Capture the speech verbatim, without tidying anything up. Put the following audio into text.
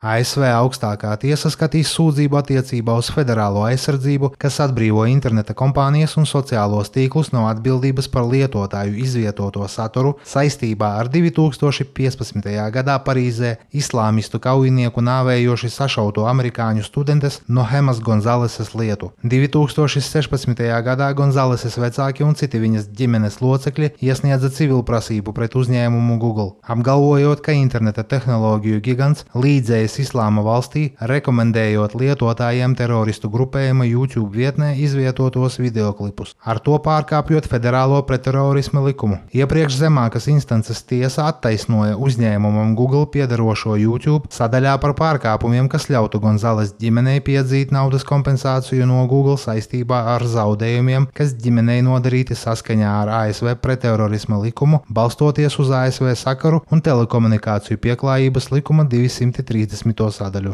A S V augstākā tiesa skatīs sūdzību attiecībā uz federālo aizsardzību, kas atbrīvo interneta kompānijas un sociālos tīklus no atbildības par lietotāju izvietoto saturu saistībā ar divi tūkstoši piecpadsmitajā gadā Parīzē islāmistu kaujinieku nāvējoši sašauto amerikāņu studentes Nohemas Gonzaleses lietu. divi tūkstoši sešpadsmitajā gadā Gonzaleses vecāki un citi viņas ģimenes locekļi iesniedza civilprasību pret uzņēmumu Google, apgalvojot, ka interneta tehnoloģiju gigants līdzējas Islāma valstī, rekomendējot lietotājiem teroristu grupējuma YouTube vietnē izvietotos videoklipus, ar to pārkāpjot federālo pretterorisma likumu. Iepriekš zemākas instances tiesa attaisnoja uzņēmumam Google piederošo YouTube sadaļā par pārkāpumiem, kas ļautu Gonzales ģimenei piedzīt naudas kompensāciju no Google saistībā ar zaudējumiem, kas ģimenei nodarīti saskaņā ar A S V pretterorisma likumu, balstoties uz A S V sakaru un telekomunikāciju pieklājības likuma divsimt trīsdesmito sadaļu.